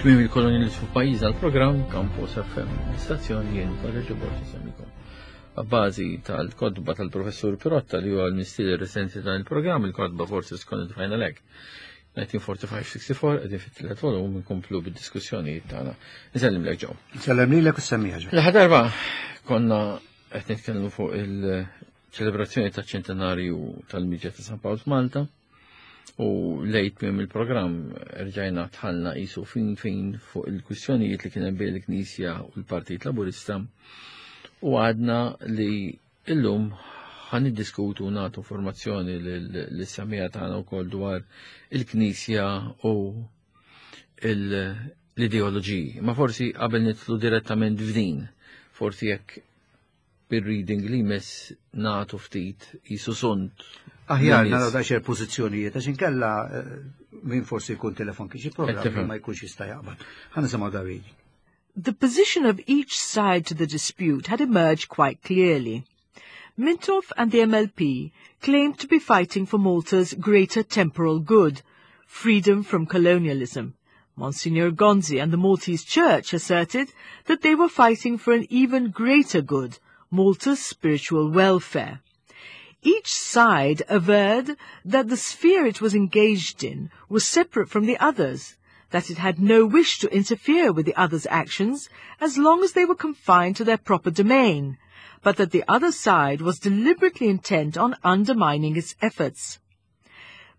Tmiem il-kolonializmu f'pajjiżna l-programm Campus FM, l-istazzjon jien Padre Ġobor semmikom. Abbażi tal-kodba tal-professur Pirotta li huwa l-mistier recenti dan il-programm, il-kodba Forces Conned Final Act 1945-64, qegħdin fit-tielet volum nkomplu bid-diskussjonijiet tagħna. Nsellimlek ġew. Nsellem lilek u semmija ġew. L-aħħar darba konna qed nitkellmu fuq il-ċelebrazzjoni taċ-ċentenarju tal-Miġja ta' San Pawl f'Malta. U lejt minn il-programm rġajna tħallna qisu fin fin fuq il-kwistjonijiet li kien hemm bejn il-Knisja u l-Partit Laburista u għadna li illum ħan niddiskutu nagħtu informazzjoni lis-samija tagħna wkoll dwar il-Knisja u l-ideoloġiji. Ma forsi qabel nidħlu direttament f'din, forsi jekk bir-reading li jmiss nagħtu ftit jisu sunt. Aħjar naraw daqsxejn pożizzjonijiet għax inkella eh, min forsi jkun telefon kien xi programm ma jkunx jista' jaqbad. Ħa nisimgħu da reading. The position of each side to the dispute had emerged quite clearly. Mintoff and the MLP claimed to be fighting for Malta's greater temporal good, freedom from colonialism. Monsignor Gonzi and the Maltese Church asserted that they were fighting for an even greater good, Malta's spiritual welfare. Each side averred that the sphere it was engaged in was separate from the others, that it had no wish to interfere with the other's actions as long as they were confined to their proper domain, but that the other side was deliberately intent on undermining its efforts.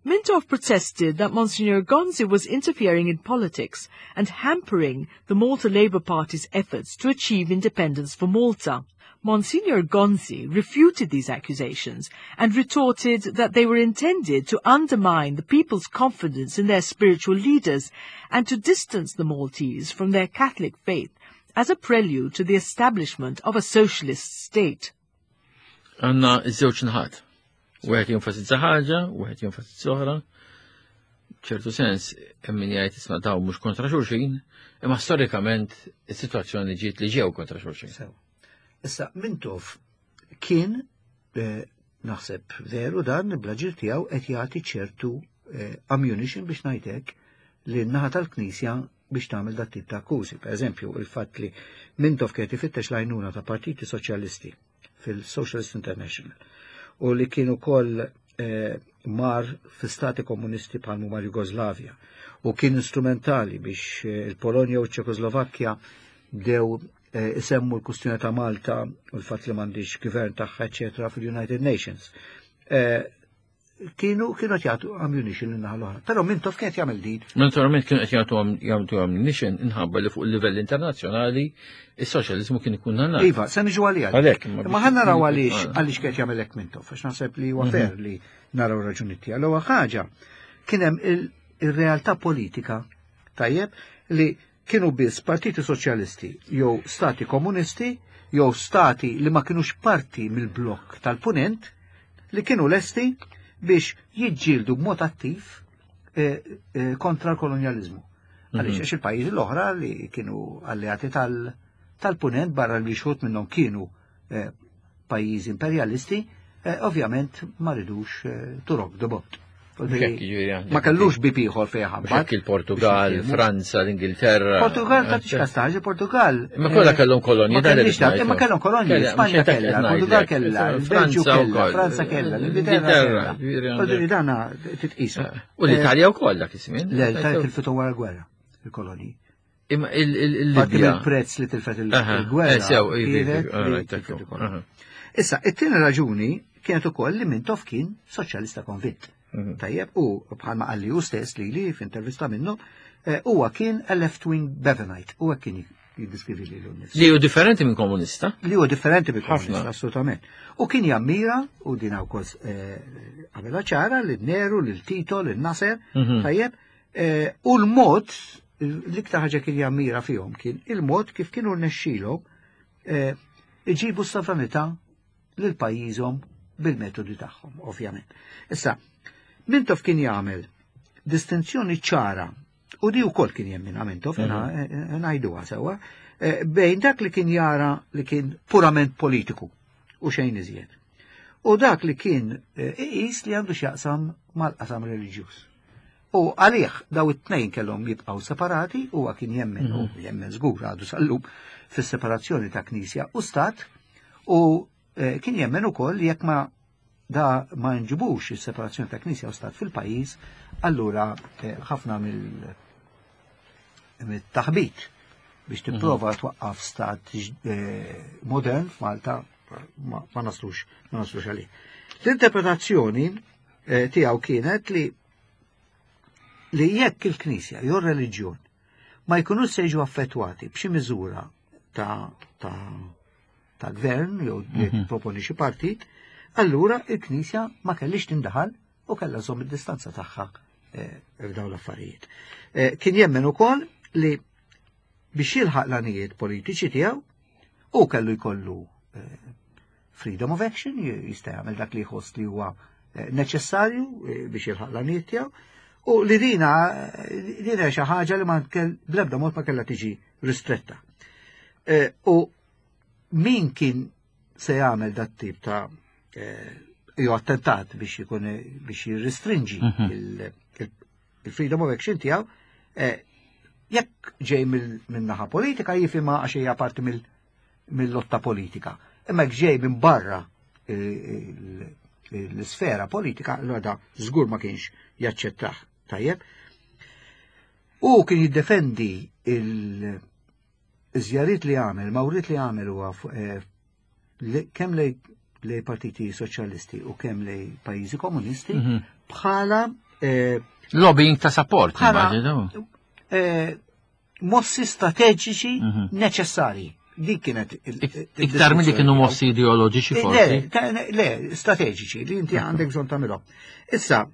Mintoff protested that Monsignor Gonzi was interfering in politics and hampering the Malta Labour Party's efforts to achieve independence for Malta. Monsignor Gonzi refuted these accusations and retorted that they were intended to undermine the people's confidence in their spiritual leaders and to distance the Maltese from their Catholic faith as a prelude to the establishment of a socialist state. Għanna iż-żewġ naħat. Wieħed jenfasizza ħaġa, wieħed jenfasizza oħra. ċertu sens, hemm min jgħid isma' daw mhux kontra xulxin, imma storikament is-sitwazzjoni ġiet li ġew kontra xulxin. Issa Mintoff kien eh, naħseb veru dan bl-aġir tiegħu qed jagħti ċertu eh, ammunition biex ngħidlek li n-naħa tal-Knisja biex tagħmel dat tip ta' akkużi. Per eżempju, il-fatt li Mintoff kien ifittex l-għajnuna ta' partiti soċjalisti fil-Socialist International u li kien ukoll eh, mar fi stati komunisti bħal mar Jugoslavja u kien instrumentali biex eh, il-Polonja u ċ-Ċekoslovakkja bdew eh, isemmu l-kustjoni ta' Malta u l-fatt li m'għandix gvern tagħha eċetera fil-United Nations. Kienu kienu qed jagħtu ammunition lin naħa l-oħra. Però Mintoff kien qed jagħmel din. Naturalment kienu qed jagħtu jagħtu ammunition inħabba li fuq il-livell internazzjonali is-soċjaliżmu kien ikun għandna. Iva, se niġu għalija. Għalhekk. Ma ħa naraw għaliex għaliex kien qed jagħmel hekk Mintoff, għax naħseb li huwa mhm. fair li naraw raġuni tiegħu. L-ewwel ħaġa kien hemm il-realtà politika tajjeb li kienu biss partiti soċjalisti jew stati komunisti jew stati li ma kinux parti mill-blokk tal-punent li kienu lesti biex jiġġieldu b'mod attiv eh, eh, kontra l-kolonjalizmu. Għaliex mhm. għax il-pajjiżi l-oħra li kienu alleati tal-punent barra li xħut minnhom kienu eh, pajjiżi imperjalisti, eh, ovvjament ma ridux eh, to rock the boat. Ma kellux bib ieħor fejn ħabbat. Il-Portugal, Franza, l-Ingilterra. Portugal ta' tix kastaġi, Portugal. Ma kollha kellhom kolonji. Ma kellhom kolonji, Spanja kellha, Portugal kellha, il-Belġju kellha, Franza kellha, l-Ingilterra kellha. Dana titqisu. U l-Italja wkoll dak iż-żmien. Le, l-Italja tilfitu wara l-gwerra, il-kolonji. Imma il-Libja. Il-prezz li tilfet il-gwerra. Eh, Issa, it-tieni raġuni kienet ukoll li Mintoff kien soċjalista konvint. Mhm. Tajjeb, u bħalma qalli hu stess li li f'intervista minnu, eh, huwa kien a left-wing Bevanite, huwa kien jiddiskrivi li l Li hu differenti minn komunista? Li hu differenti minn komunista, assolutament. U kien jammira, u din wkoll eh, għamilha ċara, lil Nehru, lil Tito, lil Nasser, mhm. tajjeb, Eh, u l-mod, l-iktar ħaġa kien jammira fihom kien il-mod kif kienu rnexxilhom eh, iġibu s-sovranità lil pajjiżhom bil-metodi tagħhom, ovvjament. Issa, Mintoff kien jagħmel distinzjoni ċara u di wkoll kien jemmina Mintoff, mhm. eh, ngħiduha sewwa, bejn dak li kien jara li kien purament politiku u xejn iżjed. U dak li kien iqis li għandu x'jaqsam mal-qasam reliġjuż. U għalih daw it-tnejn kellhom jibqgħu separati, huwa kien jemmen u mhm. jemmen żgur għadu sal-lum fis-separazzjoni ta' Knisja u Stat u eh, kien jemmen ukoll jekk ma da ma nġibux is-separazzjoni ta' Knisja u Stat fil-pajjiż, allura eh, ħafna mill mit-taħbit biex mhm. tipprova twaqqaf stat eh, modern f'Malta ma naslux ma naslux għalih. L-interpretazzjoni eh, tiegħu kienet li li jekk il-Knisja jew reliġjon ma jkunux se jiġu affettwati b'xi miżura ta' ta' ta' gvern jew li mhm. proponi xi partit, allura il-Knisja ma kellix tindaħal u kellha żomm id-distanza tagħha eh, f'dawn l-affarijiet. Eh, kien jemmen ukoll li biex jilħaq l-għanijiet politiċi tiegħu u kellu jkollu eh, freedom of action, jista' jagħmel dak li jħoss li huwa neċessarju biex jilħaq l-għanijiet tiegħu. U li dina dina xi ħaġa li ma bl-ebda mod ma kellha tiġi ristretta. U min kien se jagħmel dat tip ta' eh, jew attentat biex ikun biex jirrestrinġi mhm. il-freedom of action tiegħu, eh, jekk ġej minn naħa politika jifhimha għax hija parti mill-lotta politika. Imma jekk ġej minn barra l-sfera politika, allura da żgur ma kienx jaċċettah. Tajjeb. U kien jiddefendi il- Iż-żjariet li għamel, mawriet li għamel huwa eh, kemm lej lej partiti soċjalisti u kemm lej pajjiżi komunisti mhm. bħala eh, lobbying ta' support bħala eh, mossi strateġiċi mhm. neċessarji. Dik kienet iktar milli kienu mossi ideoloġiċi forsi. Le, le, strateġiċi li inti għandek bżonn tagħmilhom. Issa,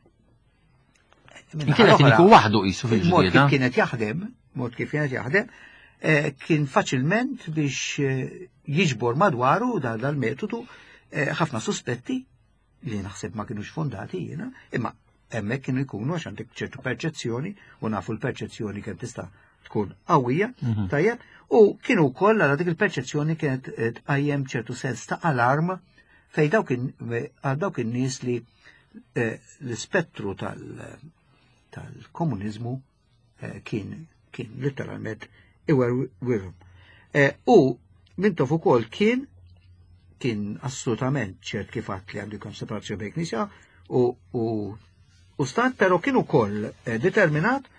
Kienet kien waħdu qisu fil-ġlieda. Mod kif kienet jaħdem, mod kif kienet jaħdem, eh, kien faċilment biex eh, jiġbor madwaru dal-metodu eh, ħafna suspetti li naħseb ma kienux fondati jiena, imma hemmhekk kienu jkunu għax għandek ċertu perċezzjoni u nafu l-perċezzjoni kemm tista' tkun qawwija, mhm. tajjeb, u kienu wkoll għal dik il-perċezzjoni kienet tqajjem ċertu sens ta' alarm fej dawk in-nies li Eh, l-ispettru tal-komuniżmu eh, kien kien literalment iwerwirhom. Eh, u Mintoff ukoll kien kien assolutament ċert kif għadt li għandu jkun separazzjoni bejn knisja u, u, u stat, pero kien ukoll determinat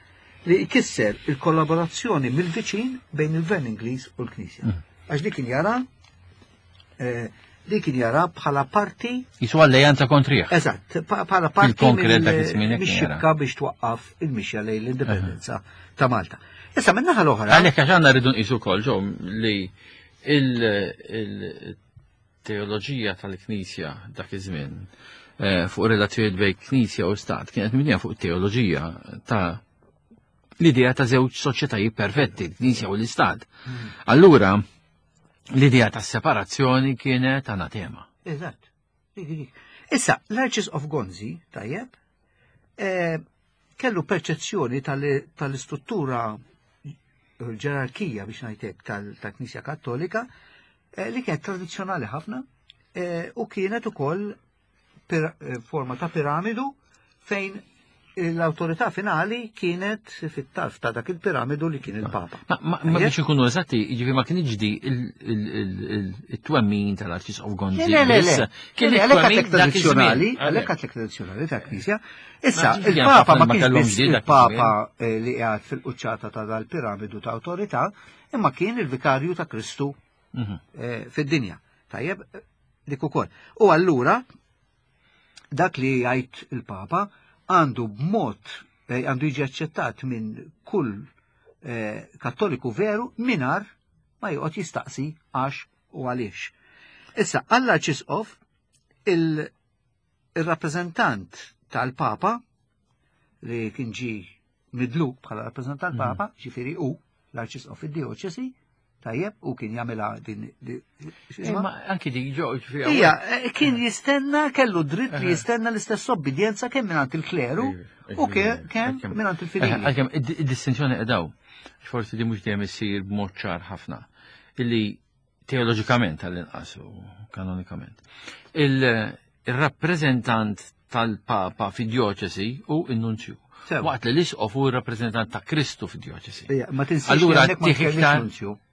li jkisser il-kollaborazzjoni mill-viċin bejn il-Gvern Ingliż u l-Knisja. Mm. Għax dik kien jara li kien jara bħala parti. Jisu alleanza kontrih. Eżatt, bħala parti mix-xibka biex twaqqaf il-mixja lejn l-indipendenza ta' Malta. Issa minn naħa l-oħra. Għalhekk għax għandna rridu nqisu wkoll ġew li il-teoloġija tal-Knisja dak iż-żmien eh, fuq relazzjonijiet bejn Knisja u Stat kienet mibnija fuq teoloġija ta' l-idea ta' żewġ soċjetajiet perfetti, l-Knisja u l-Istat. Hmm. Allura, L-idea ta' separazzjoni kienet anatema. Eżatt. Issa, l-Arċisqof Gonzi, tajjeb, eh, kellu perċezzjoni tal-istruttura ġerarkija biex ngħidlek tal-Knisja Kattolika eh, li kienet tradizzjonali ħafna eh, u kienet ukoll Eh, forma ta' piramidu fejn l-autorità finali kienet fit-tarf ta' dak il-piramidu li kien il-Papa. Ma biex ikunu eżatti, jiġifieri ma kienx di il-twemmin tal-Arċisqof Gonzi. Le, le, le. Kien għalhekk tradizzjonali, għalhekk għatlek tradizzjonali ta' Knisja. Issa, il-Papa ma kienx biss il-Papa eh, li qiegħed fil-quċċata ta' dal-piramidu ta' autorità, imma kien il-vikarju ta' Kristu mhm. eh, fid-dinja. Tajjeb, dik ukoll. U allura dak li jgħid il-Papa għandu b'mod eh, għandu jiġi aċċettat minn kull eh, kattoliku veru minar ma joqgħod jistaqsi għax u għaliex. Issa, għall-arċisqof il-rappreżentant tal-Papa li kien ġi midluk bħala rappreżentant mhm. Papa, ġifieri u l-arċisqof id-dioċesi, tajjeb, u kien jagħmilha din. Imma anki dik ġo ġifieri. Ija, eh, kien jistenna kellu dritt li jistenna l-istess obbedjenza kemm mingħand il-kleru u kemm mingħand il-fidili. Għalkemm id-distinzjoni qedaw, forsi di mhux dejjem issir b'mod ċar ħafna, illi teoloġikament għall-inqas u kanonikament. Il-rappreżentant tal-Papa fi dioċesi u n-nunzju. Waqt li l-isqof hu rappreżentant ta' Kristu fid-djoċesi. Ma tinsiex Allura tieħ iktar.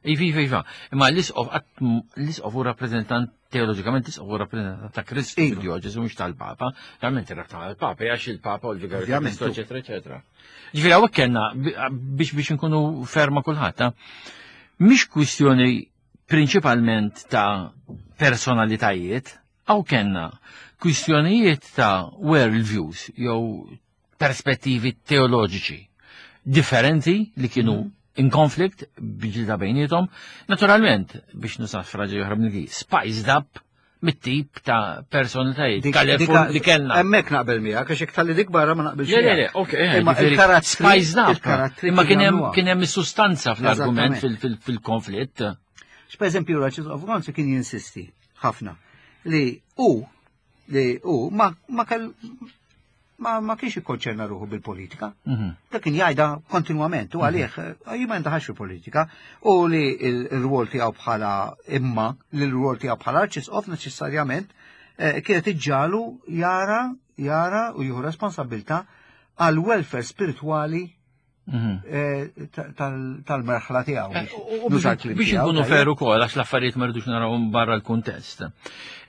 Iva, iva, iva. Imma l-isqof l-isqof hu rappreżentant teoloġikament l-isqof hu rappreżentant ta' Kristu iva. fid-djoċesi mhux tal-Papa. Realment ir-rabta tal-Papa għax il-Papa u l-vigarju ta' Kristu, eċetera, eċetera. Ġifieri hawnhekk kellna biex biex inkunu ferma kulħadd. Mhix kwistjoni prinċipalment ta' personalitajiet, hawn kellna kwistjonijiet ta' world views jew perspettivi teoloġiċi differenti li kienu mhm. in conflict biġilda bejnietom. Naturalment, biex nusaf fraġi oħra minn spiced up mit-tip ta' personalitajiet li kellna. Hemmhekk naqbel miegħek għax iktar li dik barra ma naqbilx. Le, le, le, ok, eh, imma il-karattri. Imma kien hemm kien hemm is-sustanza fl-argument fil-konflitt. X'pereżempju l-Arċisqof Gonzi kien jinsisti ħafna li hu li hu ma ma kell ma, ma kienx ikkonċerna ruħu bil-politika. Mm -hmm. Dak kien jgħidha kontinwament u għalih mm -hmm. jien ma jindaħax fil-politika u li l-rwol tiegħu bħala imma li l-rwol tiegħu bħala arċisqof neċessarjament eh, kienet iġġalu jara jara u jieħu responsabilità għal welfare spiritwali mhm. eh, tal-merħla tiegħu. Eh, biex nkunu feru ukoll għax l-affarijiet ma rridux narawhom barra l-kuntest.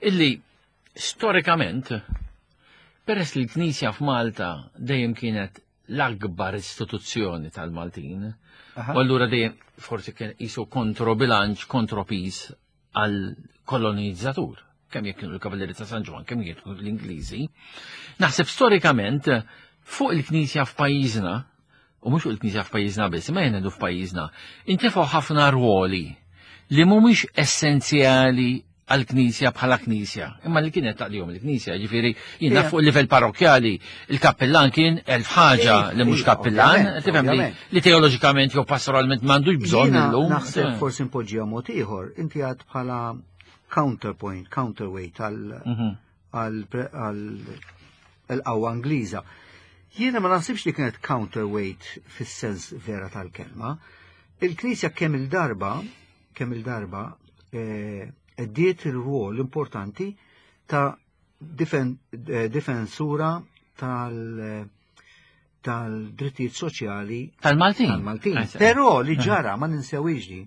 Illi Storikament, peress li l-Knisja f'Malta dejjem kienet l-akbar istituzzjoni tal-Maltin, u allura dejjem forsi kien qisu kontrobilanċ, kontropis għal kolonizzatur, kemm jekk kienu l-Kavallieri ta' San Ġwann, kemm jekk kienu l-Ingliżi. Naħseb storikament fuq il-Knisja f'pajjiżna, u mhux fuq il-Knisja f'pajjiżna biss, imma jgħidu f'pajjiżna, intefgħu ħafna rwoli li mhumiex essenzjali għal-Knisja bħala Knisja, imma li kienet taqdihom il-Knisja, ġifieri jiena fuq il-livell parrokjali, il-kappellan kien elf ħaġa li mhux kappellan, tifhem li li teoloġikament jew pastoralment m'għandux bżonn illum. Naħseb forsi npoġġiha mod ieħor, inti għad bħala counterpoint, counterweight għal mhm. għal-qawwa Ingliża. Jiena ma naħsibx li kienet counterweight fis-sens vera tal-kelma. Il-Knisja kemm il-darba, kemm il-darba, eh, ddiet il-rwol importanti ta' eh, difensura tal- tal-drittijiet soċjali tal-Maltin. Tal-Maltin. Però li ġara ma ninsewix din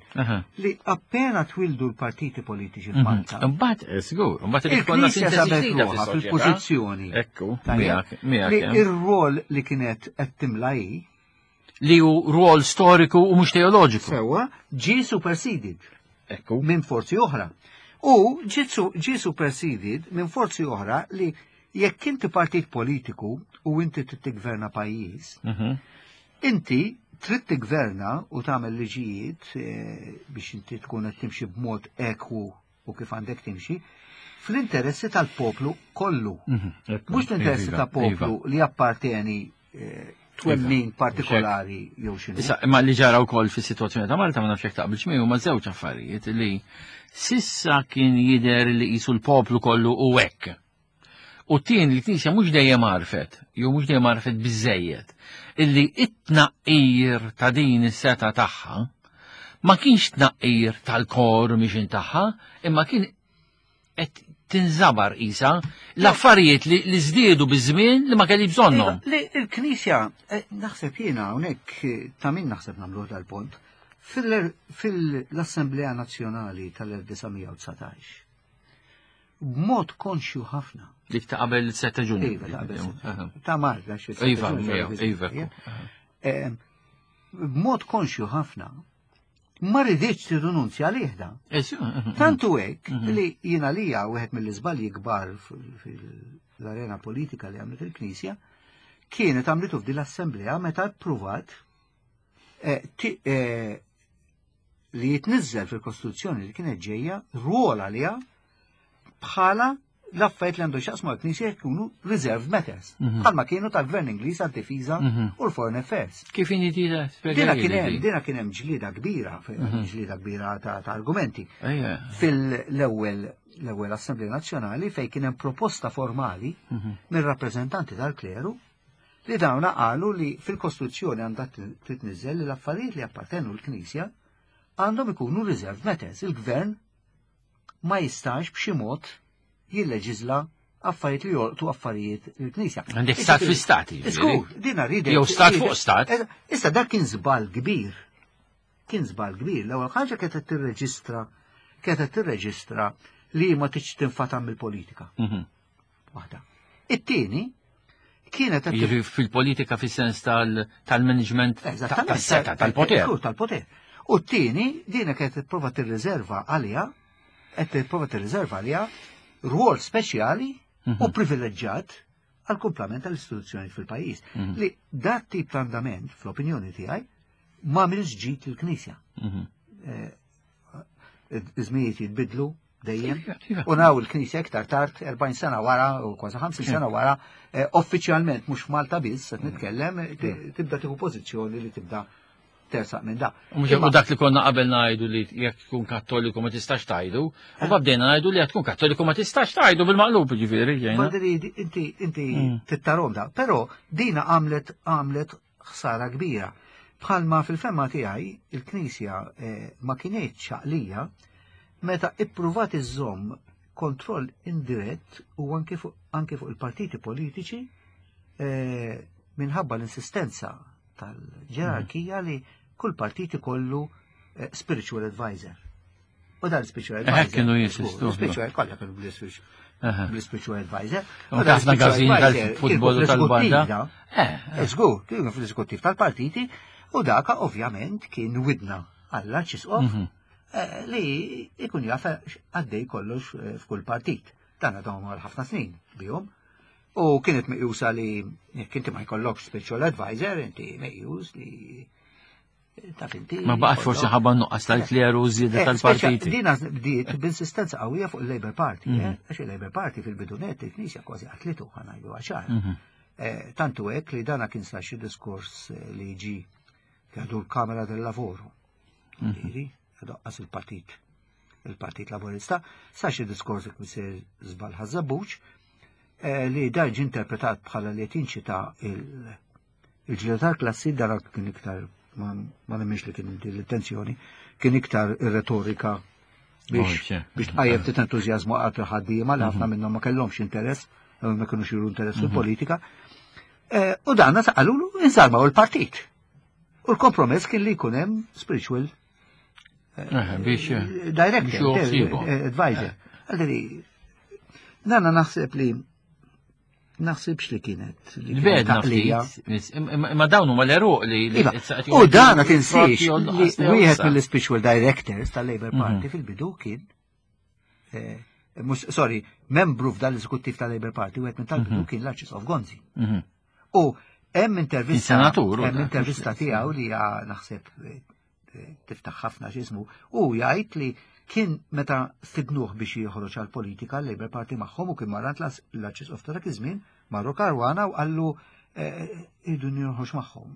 li appena twildu l-partiti politiċi mhm. f'Malta. Imbagħad eh, żgur, imbagħad irid ikollna sintesi ġdida fil-pożizzjoni. Ekku, miegħek, miegħek. Li ir-rol li kienet qed timla hi li hu rwol storiku u mhux teoloġiku. Sewwa, ġie superseded. Ekku. Minn forzi oħra. U ġie superseded minn forzi oħra li jekk inti partit politiku u inti trid tiggverna pajjiż, mhm. inti trid tiggverna u tagħmel liġijiet eh, biex inti tkun qed timxi b'mod ekwu u kif għandek timxi, fl-interessi tal-poplu kollu. Mhm, Mhux l-interessi iva, ta' poplu iva. li apparteni eh, twemmin iva, partikolari jew x'inhu. Issa, imma li ġara wkoll fis-sitwazzjoni ta' Malta ma nafx jekk taqbilx miegħu ma' żewġ affarijiet li sissa kien jidher li qisu l-poplu kollu u hekk. U t-tien li knisja mhux dejjem għarfet, jew mhux dejjem għarfet biżejjed, illi it-tnaqqir ta' din is-seta tagħha ma kienx tnaqqir tal-kor mixin tagħha, imma kien qed tinżabar isa l-affarijiet li żdiedu biż-żmien li ma kelli bżonnhom. Li il-Knisja, eh, naħseb jiena hawnhekk eh, ta' min naħseb nagħmluh dal-punt, fil-Assemblea Nazzjonali tal-1919 b'mod konxju ħafna. Dik ta' qabel 7 Ġunju. Iva, ta' qabel. Ta' Malta xi. Iva, iva. Eh, b'mod konxju ħafna ma riditx tirrinunzja għalih da. Tantu hekk mhm. li jiena lija wieħed mill-iżbalji kbar fil-arena politika li għamlet il-Knisja kienet għamlitu f'din l-assemblea meta ppruvat eh, eh, li jitniżżel fil-Kostituzzjoni li kienet ġejja rwol għaliha bħala l-affarijiet li għandu xaqsmu għal-Knisja jkunu reserved matters. Mhm. Bħalma kienu tal-Gvern Ingliż għad-difiża mhm. u l-Foreign Affairs. Kif inhi dina? Dina kien hemm dina kien hemm ġlieda kbira, mhm. ġlieda kbira ta' argumenti. Fil-ewwel l-ewwel Assemblea Nazzjonali fejn kien hemm proposta formali mir-rappreżentanti tal-kleru li dawna qalu li fil-Kostituzzjoni għandha titniżżel li l-affarijiet li appartenu l-Knisja għandhom ikunu reserved matters. Il-Gvern ma jistax b'xi mod jilleġiżla affarijiet li jolqtu affarijiet il-Knisja. Għandek stat fi stat. Żgur, dina ridet. Jew stat fuq stat. Issa dak kien żball kbir. Kien żball kbir. L-ewwel ħaġa kienet tirreġistra kienet tirreġistra li ma tiġ tinfatam mill-politika. Waħda. It-tieni kienet fil-politika fis-sens tal-management tas-seta tal-poter. Tal-poter. U t-tieni dina kienet tipprova tirriserva għaliha qed tipprova tirriserva għaliha rwol speċjali u privileġġjat għal kumplament tal-istituzzjoni fil-pajjiż. Li dat tip ta' andament, fl-opinjoni tiegħi, ma għamilx ġid il-Knisja. Iż-żmijiet jitbidlu dejjem. Iva. U naw il-Knisja iktar tard, 40 sena wara, u kważi 50 sena wara, uffiċjalment mhux Malta biss qed nitkellem, tibda tieħu pożizzjoni li tibda tersaq minn da. U mhux u dak li konna qabel ngħidu li jekk tkun kattoliku ma tistax tgħidu, u bdejna ngħidu li jekk tkun kattoliku ma tistax tgħidu bil-maqlub ġifieri ġejna. Badri, inti tittarom da, però dina għamlet ħsara kbira. Bħalma fil-fema tiegħi il-Knisja ma kinitx għaqlija meta ippruvat iżżomm kontroll indirett u anke fuq il-partiti politiċi minħabba l-insistenza tal-ġerarkija li kull partit ikollu spiritual advisor. U dan spiritual advisor. Kienu jinsistu. Spiritual, kollha kienu bl-spiritual advisor. U ħafna għażin tal-futbol u tal-banda. Żgur, kienu fl-eżekuttiv tal-partiti u daka ovvjament kien widna għall-arċisqof li ikun jaf għaddej kollox f'kull partit. Dan għadhom għal ħafna snin bihom. U kienet meqjusa li jekk inti ma jkollokx spiritual advisor, inti meqjus li taf inti. Ma baqgħet forsi ħabba nuqqas tal-kleru u żieda tal-partiti. Dina bdiet b'insistenza qawwija fuq il-Labour Party, għax il-Labour Party fil-bidunet il-Knisja kważi qatlitu ħa ngħidu għaxar. Tantu hekk li dana kien sar xi diskors li ġi għadu l-Kamera del Lavoro. Ġifieri, doqqas il-Partit Laburista, sar xi diskors li misser żball Ħaż-Żebbuġ, li dan ġie interpretat bħala li qed jinċita il-ġlieda tal-klassi, dan kien iktar ma nemminx li kien din l-intenzjoni, kien iktar ir-retorika biex tqajjem ftit entużjażmu għal il-ħaddiema li ħafna minnhom ma kellhomx interess, ma kinux juru interess fil-politika. U dan qalulu insarmaw il-partit. U l-kompromess kien li jkun hemm spiritual Biex director, biex joħsibu. advisor. Għalli, nana naħseb li naħsibx li kienet li kienet L-bed taqlija. naftit, imma dawn huma l-eruq li Iva, issa qed u joħorġu dan ma tinsiex frotti u li nuqqas li wieħed joqsa. mill-spiritual directors tal-Labour Party fil-bidu kien mhux, sorry, membru f'dan l-eżekuttiv tal-Labour Party, wieħed minn tal-bidu kien l-Arċisqof Gonzi. U hemm intervista, Il-senatur, u hemm dak, intervista mhux tiegħu li hija naħseb tiftaħ ħafna x'ismu, u jgħid li kien meta stidnuh biex joħroġ għall-politika l-Labour Party magħhom u kien marrant l-Arċisqof ta' dak iż-żmien, marru Caruana u qallu irridu njoħroġ magħhom.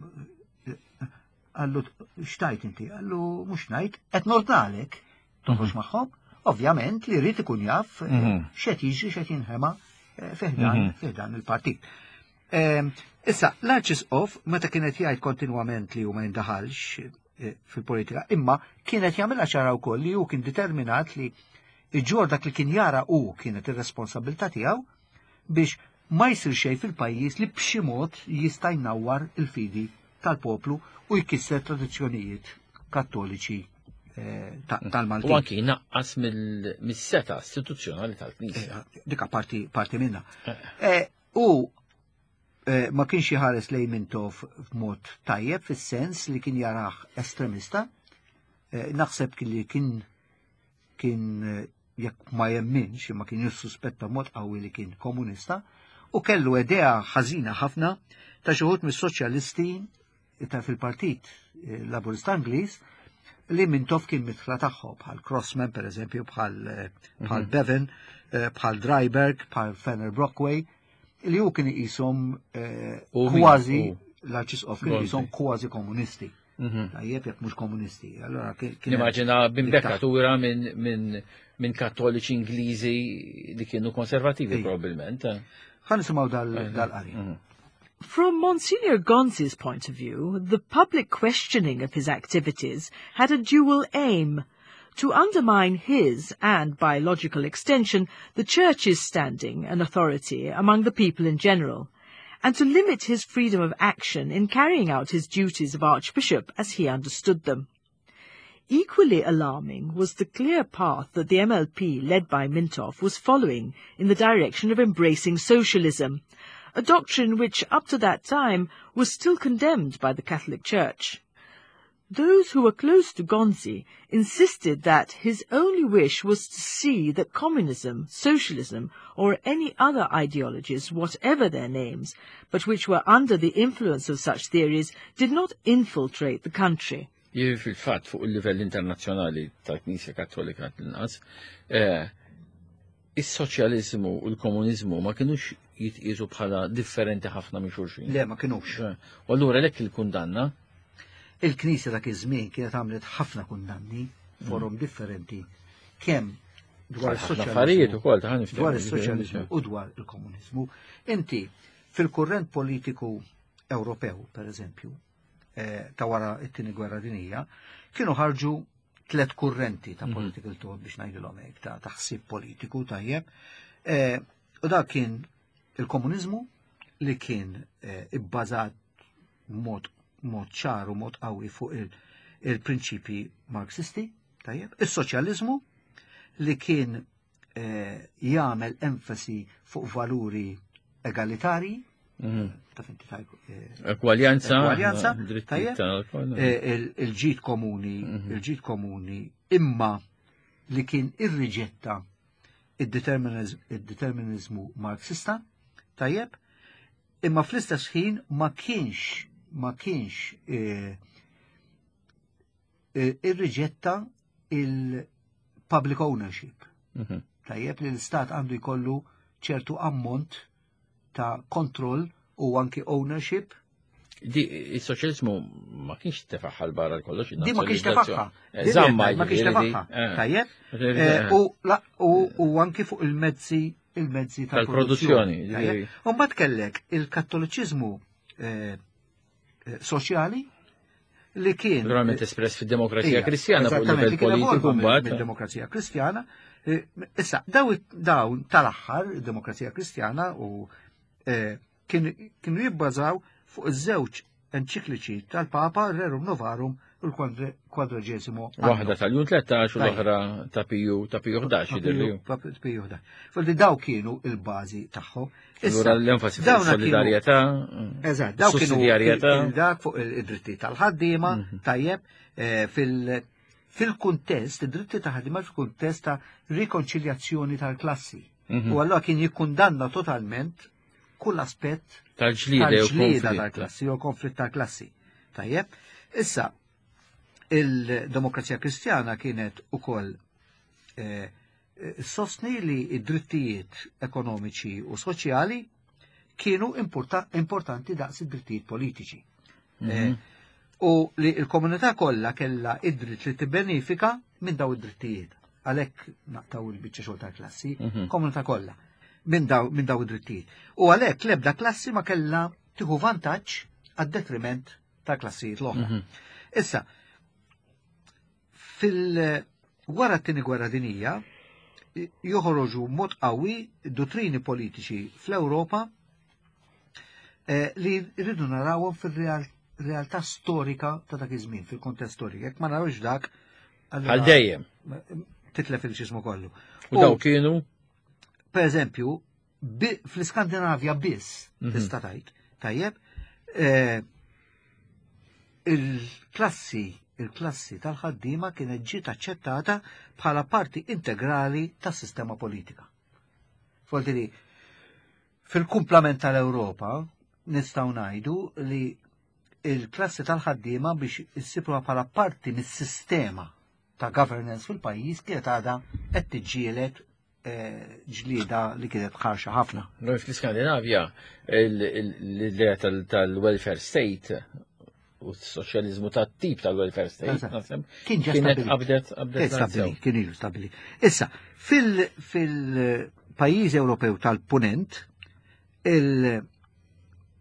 Qallu x'tajt inti? Qallu mhux ngħid, qed nordnalek toħroġ magħhom. Ovvjament li jrid ikun jaf x'qed jiġri, x'qed jinħema fiħdan il-partit. Issa, l-Arċisqof meta kienet jgħid kontinwament li hu ma jindaħalx fil-politika, imma kienet jagħmilha ċara wkoll li hu kien determinat li iġġor dak li kien jara hu kienet ir-responsabilità tiegħu biex ma jsir xejn fil-pajjiż li b'xi mod jista' jnawwar il-fidi tal-poplu u jkisser tradizzjonijiet kattoliċi tal-Maltin. U anki jnaqqas mis-seta istituzzjonali tal-Knisja. Dika parti minna. U ma kienx jħares lejn Mintoff b'mod tajjeb fis-sens li kien jarah estremista. Naħseb li kien jekk ma jemminx, imma kien jissuspetta b'mod qawwi li kien komunista, u kellu idea ħażina ħafna ta' xi wħud mis-soċjalisti ta' fil-Partit Laburista Ingliż li Mintoff kien mitħla tagħhom, bħal Crossman per eżempju, bħal Bevan, bħal Dryburgh, bħal Fenner Brockway, li hu kien iqishom U min? kważi U. l-Arċisqof kien Gonzi. iqishom kważi komunisti. Tajjeb, jekk mhux komunisti. Allora kien Nimmaġina hemm b'imbekkatura minn kattoliċi Ingliżi li kienu konservativi probabilment. Ħa nisimgħu dal-qari. From Monsignor Gonzi's point of view, the public questioning of his activities had a dual aim: To undermine his, and by logical extension, the Church's standing and authority among the people in general, and to limit his freedom of action in carrying out his duties of Archbishop as he understood them. Equally alarming was the clear path that the MLP, led by Mintoff, was following in the direction of embracing socialism, a doctrine which up to that time was still condemned by the Catholic Church. Those who were close to Gonzi insisted that his only wish was to see that communism, socialism, or any other ideologies, whatever their names, but which were under the influence of such theories, did not infiltrate the country. Jiġifieri fil-fatt fuq il-livell internazzjonali tal-Knisja Kattolika l-inqas, eh, is-soċjaliżmu u l-komuniżmu ma kinux jitqiesu bħala differenti ħafna minn xulxin. Le, ma kinux. Eh, u allura lek il-kundanna? Il-Knisja dak iż-żmien kienet għamlet ħafna kundanni forum mm. differenti kemm dwar is-soċjaliżmu ukoll ta' dwar is-soċjaliżmu u dwar il-komuniżmu. Inti fil-kurrent politiku Ewropew, per eżempju, eh, ta' wara it-tieni gwerra dinija, kienu ħarġu tlet kurrenti ta' mhm. political thought biex ngħidilhom hekk ta' taħsib politiku tajjeb. Eh, u dak kien il-komuniżmu li kien eh, ibbażat mod mod ċar u mod qawwi fuq il-prinċipji Marxisti, tajjeb, is-soċjaliżmu li kien jagħmel enfasi fuq valuri egalitarji, mhm. taf inti tajb. Eh, Ekwaljanza, ekwaljanza, eh, il-ġid komuni, mhm. il-ġid komuni, imma li kien irriġetta id-determinizmu marxista, tajjeb, imma fl-istess ħin ma kienx ma kienx eh, irriġetta il-public ownership. Mhm. Tajjeb li l-istat għandu jkollu ċertu ammont ta' kontroll u anki ownership. Di il-soċjalizmu ma kienx tefaħħa l-barra l-kollox. Di ma kienx tefaħħa. Eh, Zamma ma kienx tefaħħa. Eh. Tajjeb. Eh, u anki fuq il-mezzi il-mezzi tal-produzzjoni. U mbagħad kellek il-kattoliċiżmu soċjali li kien. Naturalment espress fid-demokrazija kristjana fuq livell politiku mbagħad. Demokrazija kristjana. Eh, issa, dawn tal-aħħar, demokrazija kristjana u eh, kienu jibbażaw fuq iż-żewġ enċikliċi tal-Papa Rerum Novarum u l-kwadraġesimu. Waħda tal-jun 13 u l-oħra ta' Piju ta' Piju 11 jidher Piju 11. Fulli daw kienu il-bażi tagħhom. Allura l-enfasi fuq solidarjetà. Eżatt, daw kienu dak fuq id-dritti tal-ħaddiema, mhm. tajjeb, eh, fil- fil-kuntest, id-dritti ta' ħaddiema fil-kuntest ta' rikonċiljazzjoni tal-klassi. Mhm. U allura kien jikkundanna totalment kull aspett tal-ġlieda tal-klassi u konflitt tal-klassi. Tajjeb, issa il-demokrazija kristjana kienet ukoll eh, sostni li id-drittijiet ekonomiċi u soċjali kienu importanti daqs id-drittijiet politiċi. Mm -hmm. U li l-komunità kollha kellha id-dritt li tibbenifika minn daw id-drittijiet. Għalhekk naqtaw il-biċċa xogħol tal-klassi, mhm. komunità kollha minn daw, min daw id-drittijiet. U għalhekk l-ebda klassi ma kellha tieħu vantaġġ għad-detriment ta' klassijiet l-oħra. Mhm. Issa, fil- wara t-tieni gwerra dinija, joħroġu mod qawwi dottrini politiċi fl-Ewropa eh, li rridu narawhom fil-realtà storika ta' dak iż-żmien, fil-kontest storiku. Jekk ma narawx dak, għal dejjem. Titlef il-ġismu kollu. U daw kienu? Per eżempju, fl-Iskandinavja biss mhm. tista' tgħid, tajjeb, eh, il-klassi il-klassi tal-ħaddiema kienet ġiet aċċettata bħala parti integrali tas-sistema politika. Folti li fil-kumplament tal-Ewropa nistgħu ngħidu li il-klassi tal-ħaddiema biex issibruha bħala parti mis-sistema ta' governance fil-pajjiż kienet għadha qed tiġġieled eh, ġlieda li kienet ħarxa ħafna. Noi fl-Iskandinavja l-idea tal-welfare state u s-soċjalizmu ta' tip tal-welfare state. Kien ġa kienet qabdet qabdet kien ilu stabili. Issa, fil-pajjiż Ewropew tal-Punent, il-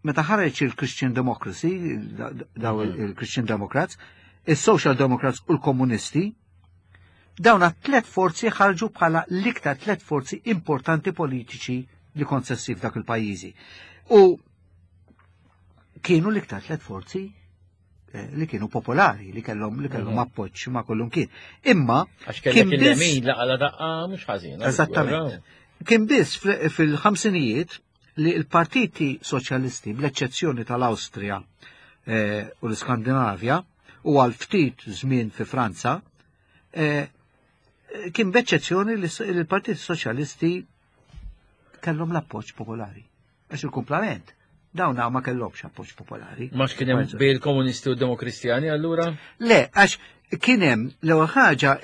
meta ħareġ il-Christian Democracy, daw mhm. il-Christian Democrats, il-Social Democrats u l-Komunisti, Dawn tlet forzi ħarġu bħala l-iktar tlet forzi importanti politiċi li konsessi f'dak il-pajjiżi. U kienu l-iktar tlet forzi eh, li kienu popolari, li kellhom li kellhom mhm. appoġġ ma' kullum kien. Imma kien biss laqala daqqa mhux ħażin. Eżattament. Kien biss fil-ħamsinijiet li l-partiti soċjalisti bl-eċċezzjoni tal-Awstrija eh, u l-Iskandinavja u għal ftit żmien fi Franza, eh, kien b'eċċezzjoni li l-Partiti Soċjalisti kellhom l-appoġġ popolari. Għax il-kumplament, dawn ma kellhomx appoġġ popolari. Ma kien hemm bejn il-komunisti u d-demokristjani allura? Le, għax kien hemm l-ewwel ħaġa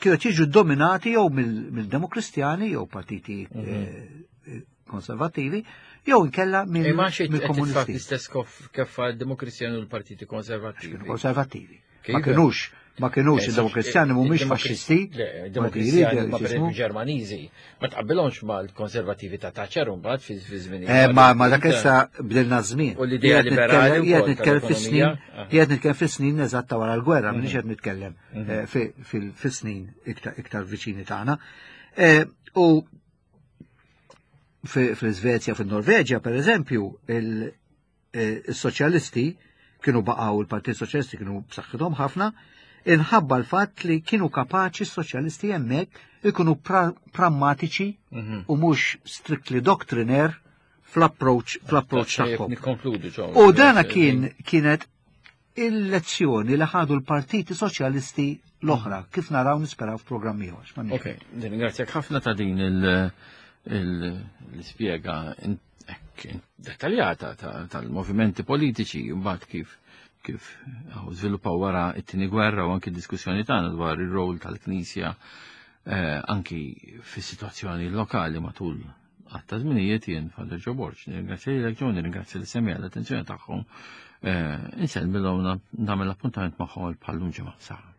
kienu jiġu dominati jew mill-demokristjani jew partiti mhm. eh, konservattivi jew inkella mill-komunisti. L-istess kif demokristjani u l-partiti konservattivi. Konservattivi. Ma kienux ma kienux eh, id-Demokristjani mhumiex faxxisti. Demokristjani ma pereżempju Ġermaniżi, ma tqabbilhomx mal-konservattivi ta' Thatcher mbagħad fi żmien. Eh, ma ma dak issa bdilna żmien. U l-idea liberali qiegħed nitkellem fis-snin, ah. qiegħed nitkellem fis-snin eżatt ta' wara l-gwerra, m'iniex qed nitkellem mhm. eh, fis-snin iktar viċini tagħna. U fl-Iżvezja, fin-Norveġja, per eżempju, il-soċjalisti kienu baqgħu il-Partit Soċjalisti kienu b'saħħithom ħafna, inħabba l-fatt li kienu kapaċi s-soċjalisti hemmhekk ikunu prammatiċi mhm. u mhux strictly doctrinaire fl-approach fl-approach tagħhom. U dana kien kienet il-lezzjoni li ħadu l-partiti soċjalisti l-oħra, kif naraw nisperaw f'programm ieħor. Ok, ringrazzjak ħafna ta' din l-ispjega dettaljata tal-movimenti politiċi mbagħad kif kif żviluppaw wara it-tieni gwerra u anki diskussjoni tagħna dwar ir-rol tal-Knisja eh, anki fis-sitwazzjoni lokali matul għatta żminijiet jien Father Joe Borg. Nirringrazzja lilek Joe, nirringrazzja li semmi għall-attenzjoni tagħhom. Eh, insellmilhom nagħmel appuntament magħhom bħallum ġimgħa. Saħħa.